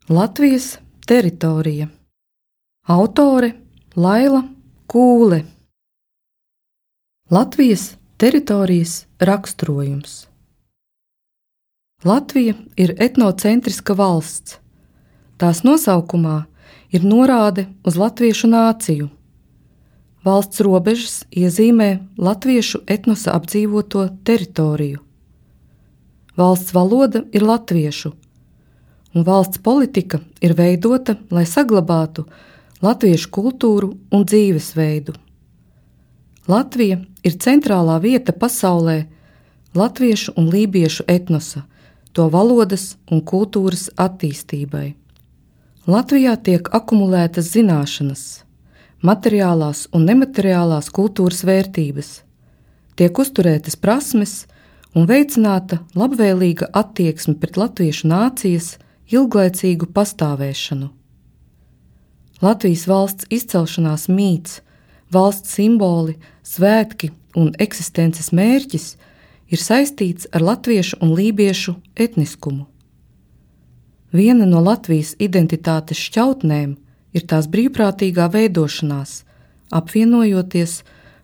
Latvijas teritorija. Autore Laila Kūle. Latvijas teritorijas raksturojums. Latvija ir etnocentriska valsts. Tās nosaukumā ir norāde uz latviešu nāciju. Valsts robežas iezīmē latviešu etnosa apdzīvoto teritoriju. Valsts valoda ir latviešu, un valsts politika ir veidota, lai saglabātu latviešu kultūru un dzīvesveidu. Latvija ir centrālā vieta pasaulē latviešu un lībiešu etnosa, to valodas un kultūras attīstībai. Latvijā tiek akumulētas zināšanas, materiālās un nemateriālās kultūras vērtības, tiek uzturētas prasmes un veicināta labvēlīga attieksme pret latviešu nācijas ilglaicīgu pastāvēšanu. Latvijas valsts izcelšanās mīts, valsts simboli, svētki un eksistences mērķis ir saistīts ar latviešu un lībiešu etniskumu. Viena no Latvijas identitātes šķautnēm ir tās brīvprātīgā veidošanās, apvienojoties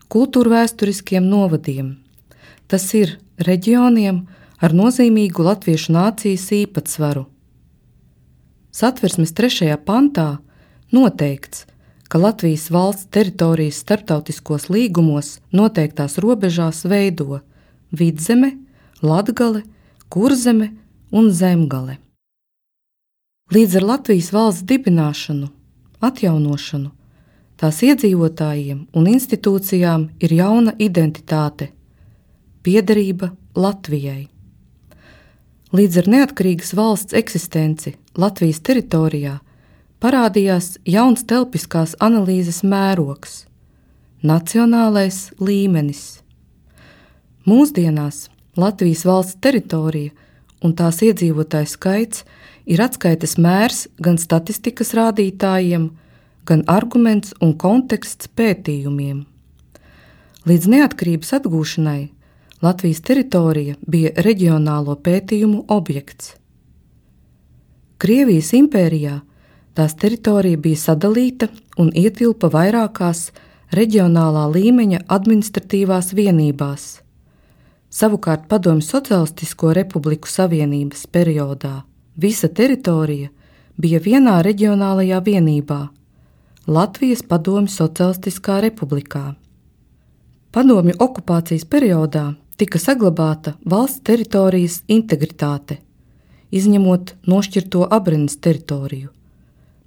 kultūrvēsturiskiem novadiem. Tas ir reģioniem ar nozīmīgu latviešu nācijas īpatsvaru. Satversmes 3. pantā noteikts, ka Latvijas valsts teritorijas starptautiskos līgumos noteiktās robežās veido Vidzeme, Latgale, Kurzeme un Zemgale. Līdz ar Latvijas valsts dibināšanu, atjaunošanu, tās iedzīvotājiem un institūcijām ir jauna identitāte – piederība Latvijai. Līdz ar neatkarīgas valsts eksistenci Latvijas teritorijā parādījās jauns telpiskās analīzes mērogs – nacionālais līmenis. Mūsdienās Latvijas valsts teritorija un tās iedzīvotāju skaits ir atskaites mērs gan statistikas rādītājiem, gan arguments un konteksts pētījumiem. Līdz neatkarības atgūšanai Latvijas teritorija bija reģionālo pētījumu objekts. Krievijas impērijā tās teritorija bija sadalīta un ietilpa vairākās reģionālā līmeņa administratīvās vienībās. Savukārt Padomju Socialistisko republiku savienības periodā visa teritorija bija vienā reģionālajā vienībā – Latvijas Padomju Socialistiskā republikā. Padomju okupācijas periodā tika saglabāta valsts teritorijas integritāte, izņemot nošķirto Abrenes teritoriju,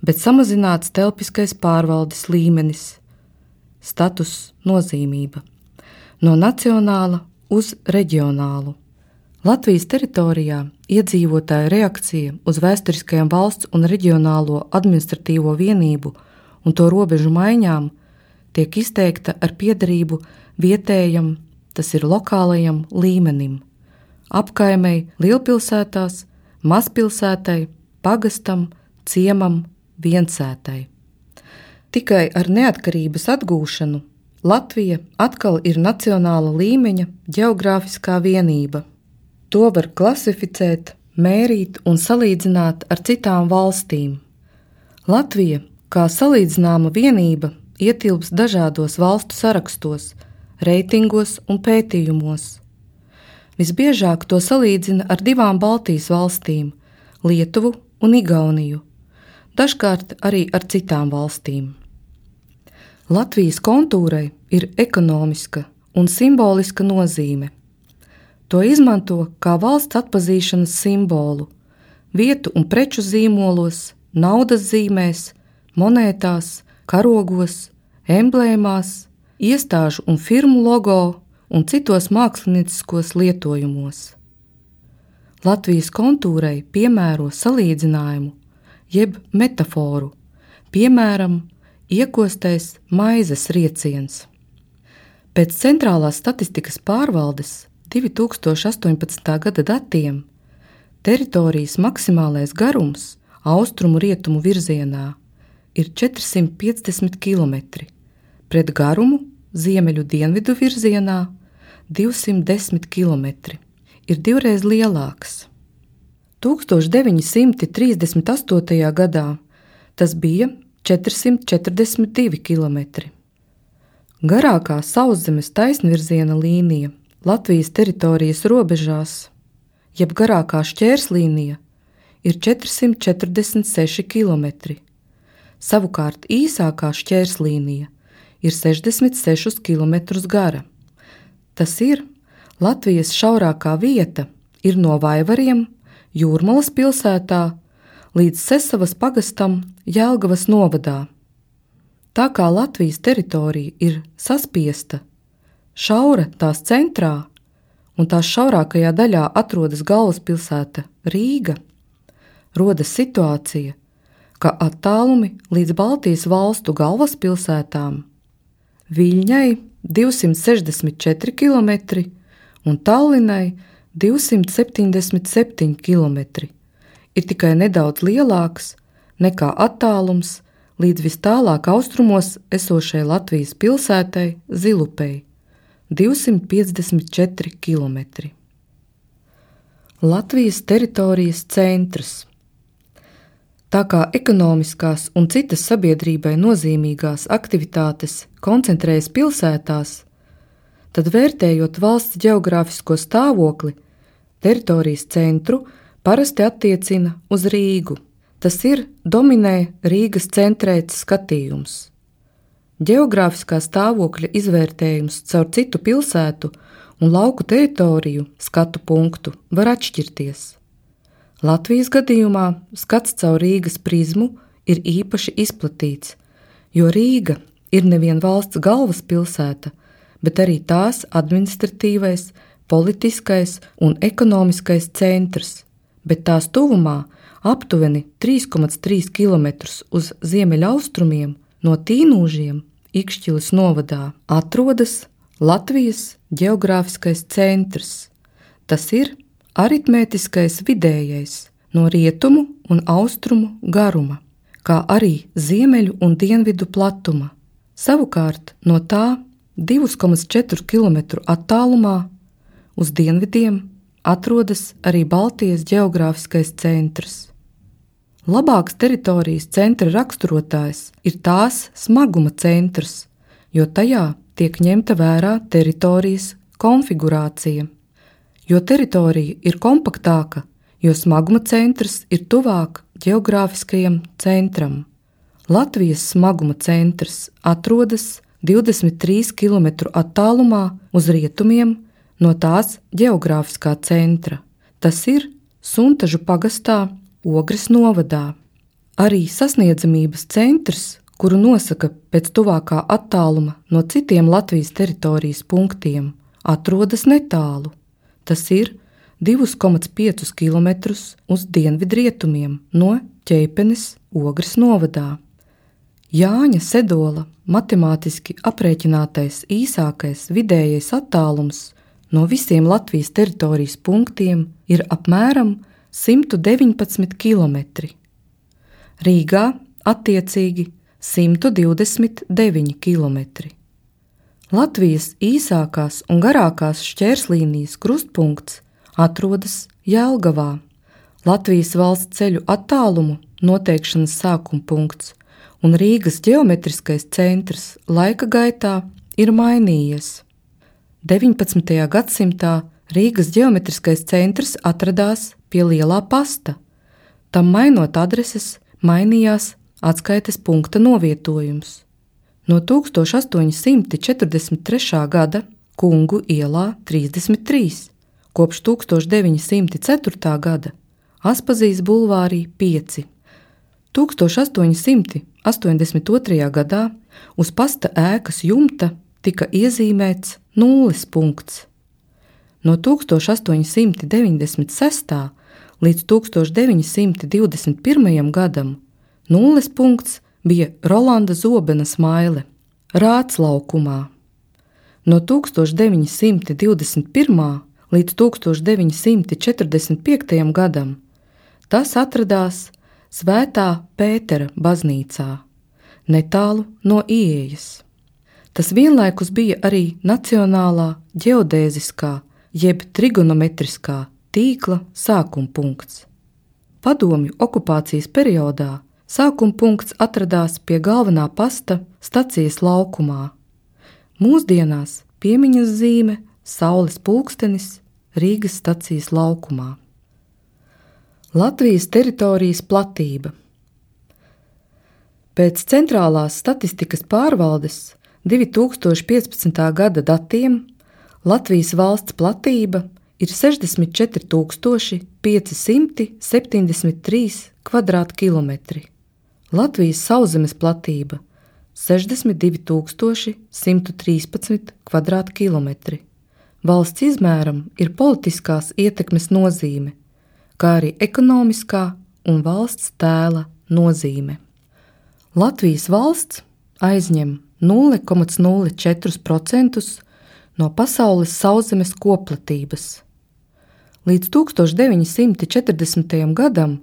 bet samazināts telpiskais pārvaldes līmenis, status nozīmība, no nacionāla uz reģionālu. Latvijas teritorijā iedzīvotāju reakcija uz vēsturiskajām valsts un reģionālo administratīvo vienību un to robežu maiņām tiek izteikta ar piederību vietējam, tas ir lokālajam līmenim, apkaimei lielpilsētās, mazpilsētai, pagastam, ciemam, viensētai. Tikai ar neatkarības atgūšanu Latvija atkal ir nacionāla līmeņa ģeogrāfiskā vienība. To var klasificēt, mērīt un salīdzināt ar citām valstīm. Latvija, kā salīdzināma vienība, ietilps dažādos valstu sarakstos, reitingos un pētījumos. Visbiežāk to salīdzina ar 2 Baltijas valstīm – Lietuvu un Igauniju, dažkārt arī ar citām valstīm. Latvijas kontūrai ir ekonomiska un simboliska nozīme. To izmanto kā valsts atpazīšanas simbolu, vietu un preču zīmolos, naudas zīmēs, monētās, karogos, emblēmās, iestāžu un firmu logo un citos mākslinieciskos lietojumos. Latvijas kontūrai piemēro salīdzinājumu, jeb metaforu, piemēram, iekostais maizes rieciens. Pēc centrālās statistikas pārvaldes 2018. gada datiem teritorijas maksimālais garums austrumu-rietumu virzienā ir 450 km, pret garumu ziemeļu-dienvidu virzienā 210 km, ir 2 lielāks. 1938. gadā tas bija 442 km. Garākā sauszemes taisnvirziena līnija Latvijas teritorijas robežās, jeb garākā šķērslīnija, ir 446 km. Savukārt īsākā šķērslīnija ir 66 km gara. Tas ir, Latvijas šaurākā vieta ir no Vaivariem, Jūrmalas pilsētā, līdz Sesavas pagastam Jelgavas novadā. Tā kā Latvijas teritorija ir saspiesta, šaura tās centrā un tās šaurākajā daļā atrodas galvaspilsēta Rīga, rodas situācija, ka attālumi līdz Baltijas valstu galvaspilsētām Viļņai 264 km un Tallinai 277 km ir tikai nedaudz lielāks nekā attālums līdz vis tālāk austrumos esošai Latvijas pilsētai Zilupei – 254 km. Latvijas teritorijas centrs. Tā kā ekonomiskās un citas sabiedrībai nozīmīgās aktivitātes koncentrējas pilsētās, tad vērtējot valsts ģeogrāfisko stāvokli, teritorijas centru parasti attiecina uz Rīgu. Tas ir dominē Rīgas centrēts skatījums. Ģeogrāfiskā stāvokļa izvērtējums caur citu pilsētu un lauku teritoriju skatu punktu var atšķirties. Latvijas gadījumā skats caur Rīgas prizmu ir īpaši izplatīts, jo Rīga ir nevien valsts galvaspilsēta, bet arī tās administratīvais, politiskais un ekonomiskais centrs, bet tās tuvumā aptuveni 3,3 km uz ziemeļaustrumiem no Tīnūžiem Ikšķiles novadā atrodas Latvijas ģeogrāfiskais centrs. Tas ir aritmētiskais vidējais no rietumu un austrumu garuma, kā arī ziemeļu un dienvidu platuma. Savukārt no tā 2,4 km attālumā uz dienvidiem atrodas arī Baltijas ģeogrāfiskais centrs. Labāks teritorijas centra raksturotājs ir tās smaguma centrs, jo tajā tiek ņemta vērā teritorijas konfigurācija. Jo teritorija ir kompaktāka, jo smaguma centrs ir tuvāk ģeogrāfiskajam centram. Latvijas smaguma centrs atrodas 23 km attālumā uz rietumiem no tās ģeogrāfiskā centra. Tas ir Suntažu pagastā Ogres novadā. Arī sasniedzamības centrs, kuru nosaka pēc tuvākā attāluma no citiem Latvijas teritorijas punktiem, atrodas netālu. Tas ir 2,5 km uz dienvidrietumiem no Ķeipenes Ogres novadā. Jāņa Sedola matemātiski aprēķinātais īsākais vidējais attālums no visiem Latvijas teritorijas punktiem ir apmēram 119 km. Rīgā attiecīgi 129 km. Latvijas īsākās un garākās šķērslīnijas krustpunkts atrodas Jelgavā. Latvijas valsts ceļu attālumu noteikšanas sākuma punkts un Rīgas ģeometriskais centrs laika gaitā ir mainījies. 19. gadsimtā Rīgas ģeometriskais centrs atradās pie Lielā pasta. Tam mainot adreses, mainījās atskaites punkta novietojums. No 1843. gada Kungu ielā 33, kopš 1904. gada Aspazijas bulvārī 5. 1882. gadā uz pasta ēkas jumta tika iezīmēts nulles punkts. No 1896. līdz 1921. gadam nulles punkts bija Rolanda Zobena smaile Rāclaukumā. No 1921. līdz 1945. gadam tas atradās Svētā Pētera baznīcā, netālu no ieejas. Tas vienlaikus bija arī nacionālā ģeodēziskā jeb trigonometriskā tīkla sākuma punkts. padomju okupācijas periodā sākuma punkts atradās pie galvenā pasta stacijas laukumā. Mūsdienās piemiņas zīme Saules pulkstenis Rīgas stacijas laukumā. Latvijas teritorijas platība. Pēc centrālās statistikas pārvaldes 2015. gada datiem Latvijas valsts platība ir 64,573 kvadrātkilometri. Latvijas sauszemes platība 62,113 kvadrātkilometri. Valsts izmēram ir politiskās ietekmes nozīme, kā arī ekonomiskā un valsts tēla nozīme. Latvijas valsts aizņem 0,04% no pasaules sauszemes koplatības. Līdz 1940. gadam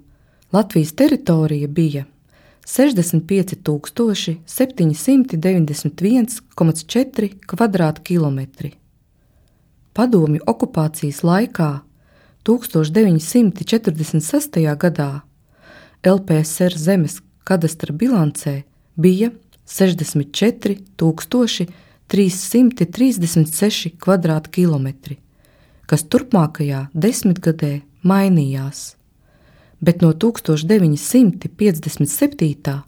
Latvijas teritorija bija 65,791,4 kvadrātkilometri. Padomju okupācijas laikā 1946. gadā LPSR zemes kadastra bilancē bija 64,336 kvadrātkilometri, kas turpmākajā desmitgadē mainījās, bet no 1957.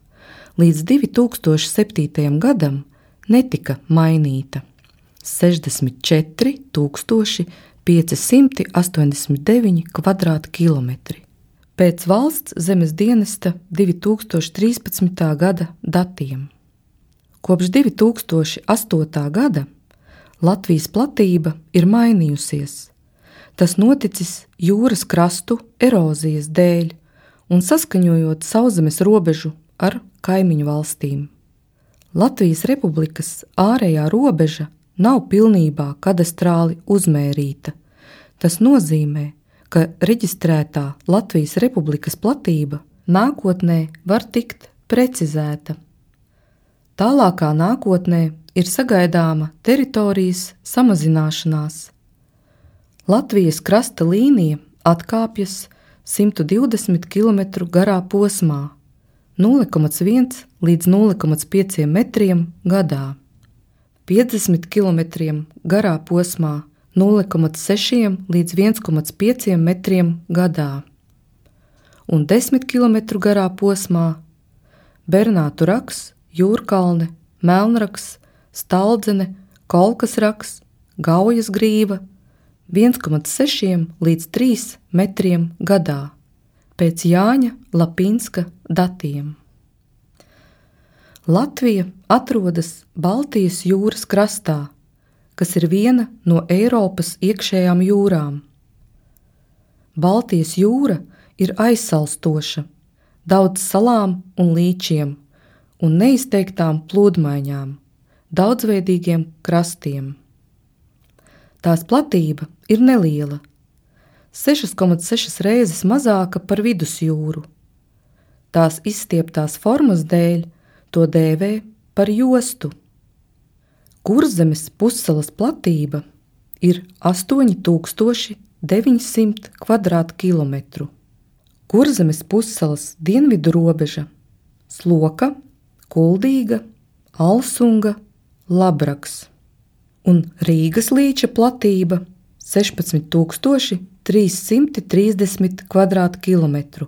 līdz 2007. gadam netika mainīta 64,589 kvadrātkilometri. Pēc valsts zemes dienesta 2013. gada datiem. Kopš 2008. gada Latvijas platība ir mainījusies. Tas noticis jūras krastu erozijas dēļ un saskaņojot sauszemes robežu ar kaimiņu valstīm. Latvijas Republikas ārējā robeža nav pilnībā kadastrāli uzmērīta. Tas nozīmē, ka reģistrētā Latvijas Republikas platība nākotnē var tikt precizēta. Tālākā nākotnē ir sagaidāma teritorijas samazināšanās. Latvijas krasta līnija atkāpjas 120 km garā posmā, 0,1 līdz 0,5 metriem gadā, 50 km garā posmā, 0,6 līdz 1,5 metriem gadā un 10 km garā posmā Bernātu raks, Jūrkalne, Melnraks, Staldzene, Kolkas raks, Gaujas grīva 1,6 līdz 3 metriem gadā pēc Jāņa Lapinska datiem. Latvija atrodas Baltijas jūras krastā, kas ir viena no Eiropas iekšējām jūrām. Baltijas jūra ir aizsalstoša, daudz salām un līčiem un neizteiktām plūdmaiņām, daudzveidīgiem krastiem. Tās platība ir neliela, 6,6 reizes mazāka par vidusjūru. Tās izstieptās formas dēļ to dēvē par jostu. Kurzemes pussalas platība ir 8900 kvadrātkilometru. Kurzemes pussalas dienvidu robeža Sloka, Kuldīga, Alsunga, Labraks un Rīgas līča platība 16330 kvadrātkilometru.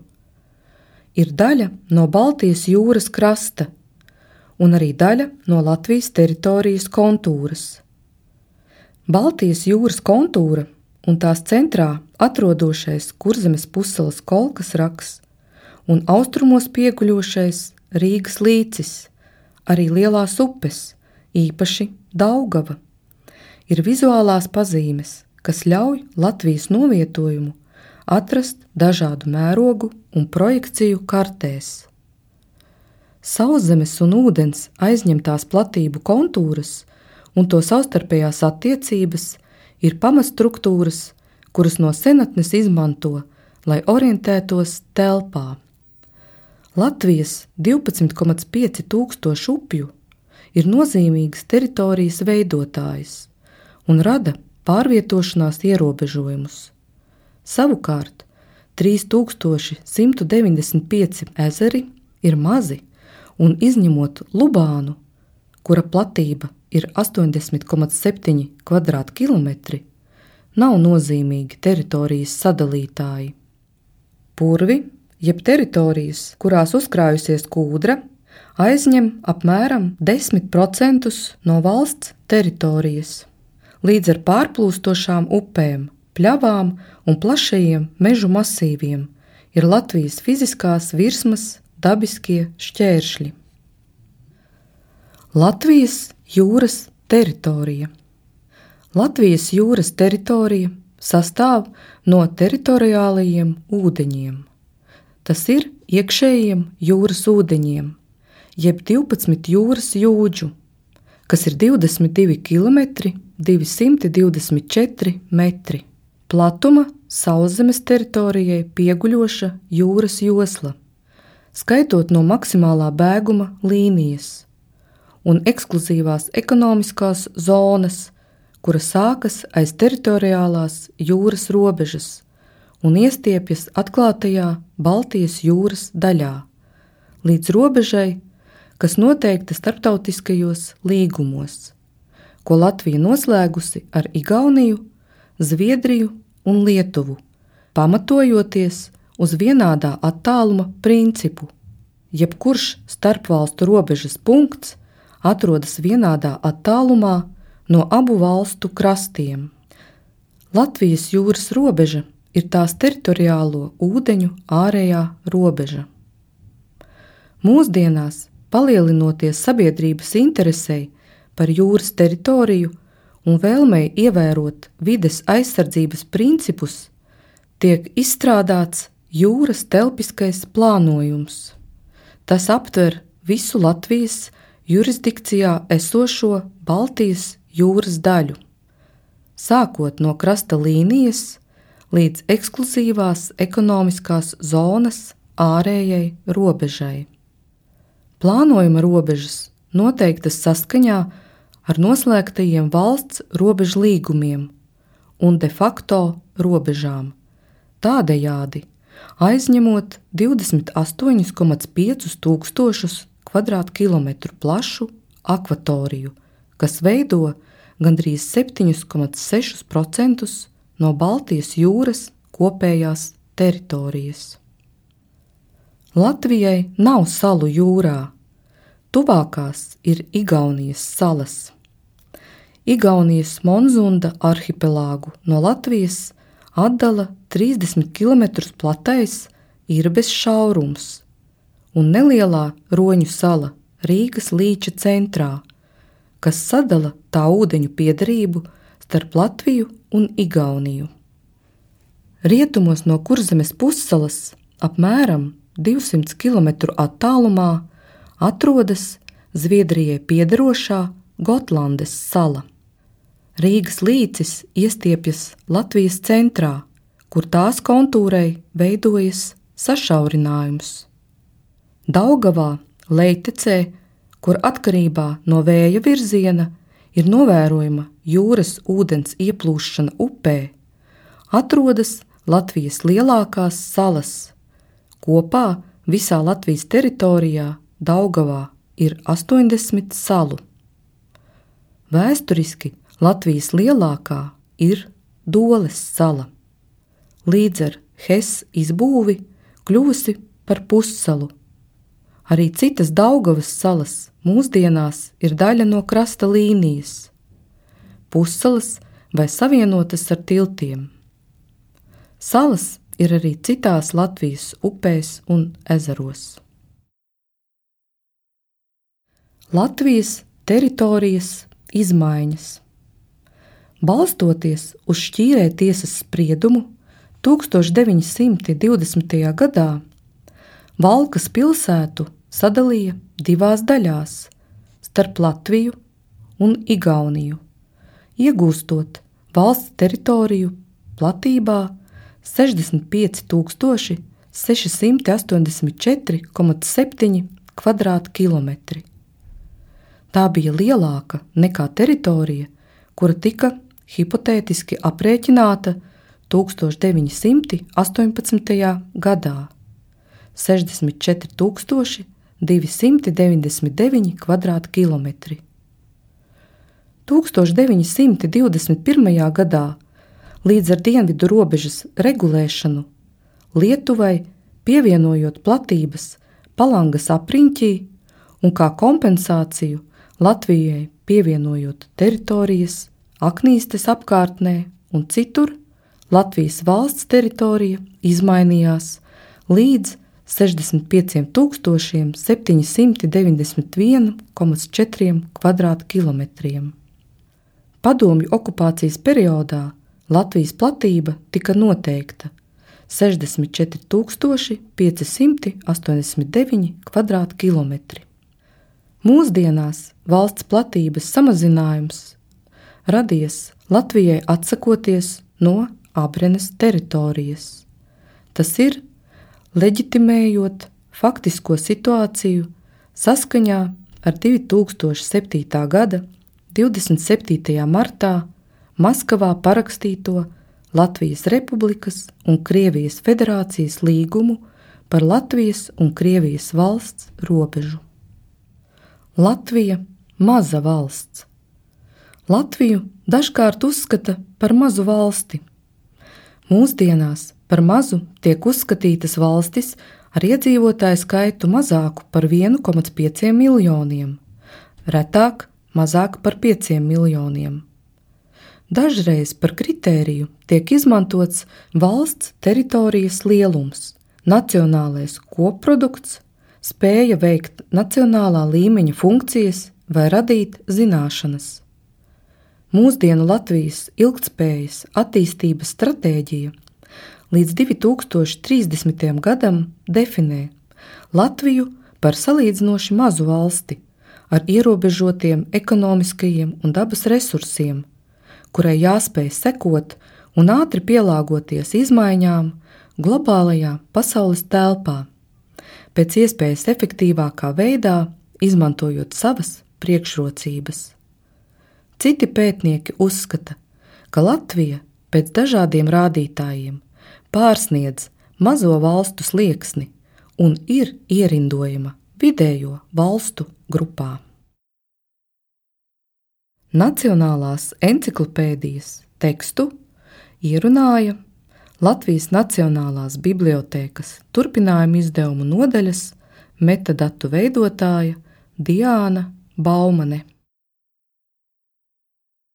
Ir daļa no Baltijas jūras krasta un arī daļa no Latvijas teritorijas kontūras. Baltijas jūras kontūra un tās centrā atrodošais Kurzemes pussalas Kolkas raks un austrumos pieguļošais Rīgas līcis, arī lielās upes, īpaši Daugava, ir vizuālās pazīmes, kas ļauj Latvijas novietojumu atrast dažādu mērogu un projekciju kartēs. Sauszemes un ūdens aizņemtās platību kontūras un to savstarpējās attiecības ir pamatstruktūras, kuras no senatnes izmanto, lai orientētos telpā. Latvijas 12,5 tūkstošu upju ir nozīmīgas teritorijas veidotājs un rada pārvietošanās ierobežojumus. Savukārt, 3195 ezeri ir mazi, un izņemot Lubānu, kura platība ir 80,7 kvadrātkilometri, nav nozīmīgi teritorijas sadalītāji. Purvi, jeb teritorijas, kurās uzkrājusies kūdra, aizņem apmēram 10% no valsts teritorijas. Līdz ar pārplūstošām upēm, pļavām un plašajiem mežu masīviem ir Latvijas fiziskās virsmas dabiskie šķēršļi. Latvijas jūras teritorija. Latvijas jūras teritorija sastāv no teritoriālajiem ūdeņiem. Tas ir iekšējiem jūras ūdeņiem, jeb 12 jūras jūdžu, kas ir 22 km 224 metri. Platuma sauszemes teritorijai pieguļoša jūras josla, skaitot no maksimālā bēguma līnijas, un ekskluzīvās ekonomiskās zonas, kura sākas aiz teritoriālās jūras robežas un iestiepjas atklātajā Baltijas jūras daļā, līdz robežai, kas noteikta starptautiskajos līgumos, ko Latvija noslēgusi ar Igauniju, Zviedriju un Lietuvu, pamatojoties uz vienādā attāluma principu. Jebkurš starpvalstu robežas punkts atrodas vienādā attālumā no abu valstu krastiem. Latvijas jūras robeža ir tās teritoriālo ūdeņu ārējā robeža. Mūsdienās, palielinoties sabiedrības interesei par jūras teritoriju un vēlmei ievērot vides aizsardzības principus, tiek izstrādāts jūras telpiskais plānojums. Tas aptver visu Latvijas jurisdikcijā esošo Baltijas jūras daļu, sākot no krasta līnijas līdz ekskluzīvās ekonomiskās zonas ārējai robežai. Plānojuma robežas noteiktas saskaņā ar noslēgtajiem valsts robežu līgumiem un de facto robežām, tādējādi aizņemot 28,5 tūkstošus kvadrātkilometru plašu akvatoriju, kas veido gandrīz 7,6% no Baltijas jūras kopējās teritorijas. Latvijai nav salu jūrā, tuvākās ir Igaunijas salas. Igaunijas Monzunda arhipelāgu no Latvijas atdala 30 km platais Irbes šaurums un nelielā Roņu sala Rīgas līča centrā, kas sadala tā ūdeņu piederību starp Latviju un Igauniju. Rietumos no Kurzemes pussalas apmēram 200 km attālumā atrodas Zviedrijai piederošā Gotlandes sala. Rīgas līcis iestiepjas Latvijas centrā, kur tās kontūrai veidojas sašaurinājums. Daugavā, Leitecē, kur atkarībā no vēja virziena ir novērojama jūras ūdens ieplūšana upē, atrodas Latvijas lielākās salas. Kopā visā Latvijas teritorijā Daugavā ir 80 salu. Vēsturiski Latvijas lielākā ir Doles sala. Līdz ar Hess izbūvi kļuvusi par pussalu. Arī citas Daugavas salas mūsdienās ir daļa no krasta līnijas, pussalas vai savienotas ar tiltiem. Salas ir arī citās Latvijas upēs un ezeros. Latvijas teritorijas izmaiņas. Balstoties uz Šķīrē tiesas spriedumu 1920. gadā, Valkas pilsētu sadalīja divās daļās starp Latviju un Igauniju, iegūstot valsts teritoriju platībā 65,684,7 kvadrātkilometri. Tā bija lielāka nekā teritorija, kura tika hipotētiski aprēķināta 1918. gadā 64,299 kvadrātkilometri. 1921. gadā līdz ar dienvidu robežas regulēšanu Lietuvai pievienojot platības Palangas apriņķī un kā kompensāciju Latvijai pievienojot teritorijas Aknīstes apkārtnē un citur, Latvijas valsts teritorija izmainījās līdz 65,791,4 kvadrātkilometriem. Padomju okupācijas periodā Latvijas platība tika noteikta 64,589 kvadrātkilometri. Mūsdienās valsts platības samazinājums radies Latvijai atsakoties no Abrenes teritorijas. Tas ir leģitimējot faktisko situāciju saskaņā ar 2007. gada 27. martā Maskavā parakstīto Latvijas Republikas un Krievijas Federācijas līgumu par Latvijas un Krievijas valsts robežu. Latvija – maza valsts. Latviju dažkārt uzskata par mazu valsti. Mūsdienās par mazu tiek uzskatītas valstis ar iedzīvotāju skaitu mazāku par 1,5 miljoniem, retāk mazāk par 5 miljoniem. Dažreiz par kritēriju tiek izmantots valsts teritorijas lielums, nacionālais kopprodukts, spēja veikt nacionālā līmeņa funkcijas vai radīt zināšanas. Mūsdienu Latvijas ilgtspējas attīstības stratēģija līdz 2030. gadam definē Latviju par salīdzinoši mazu valsti ar ierobežotiem ekonomiskajiem un dabas resursiem, kurai jāspēj sekot un ātri pielāgoties izmaiņām globālajā pasaules telpā, pēc iespējas efektīvākā veidā izmantojot savas priekšrocības. Citi pētnieki uzskata, ka Latvija pēc dažādiem rādītājiem pārsniedz mazo valstu slieksni un ir ierindojama vidējo valstu grupā. Nacionālās enciklopēdijas tekstu ierunāja Latvijas Nacionālās bibliotēkas turpinājuma izdevumu nodaļas metadatu veidotāja Diāna Baumane.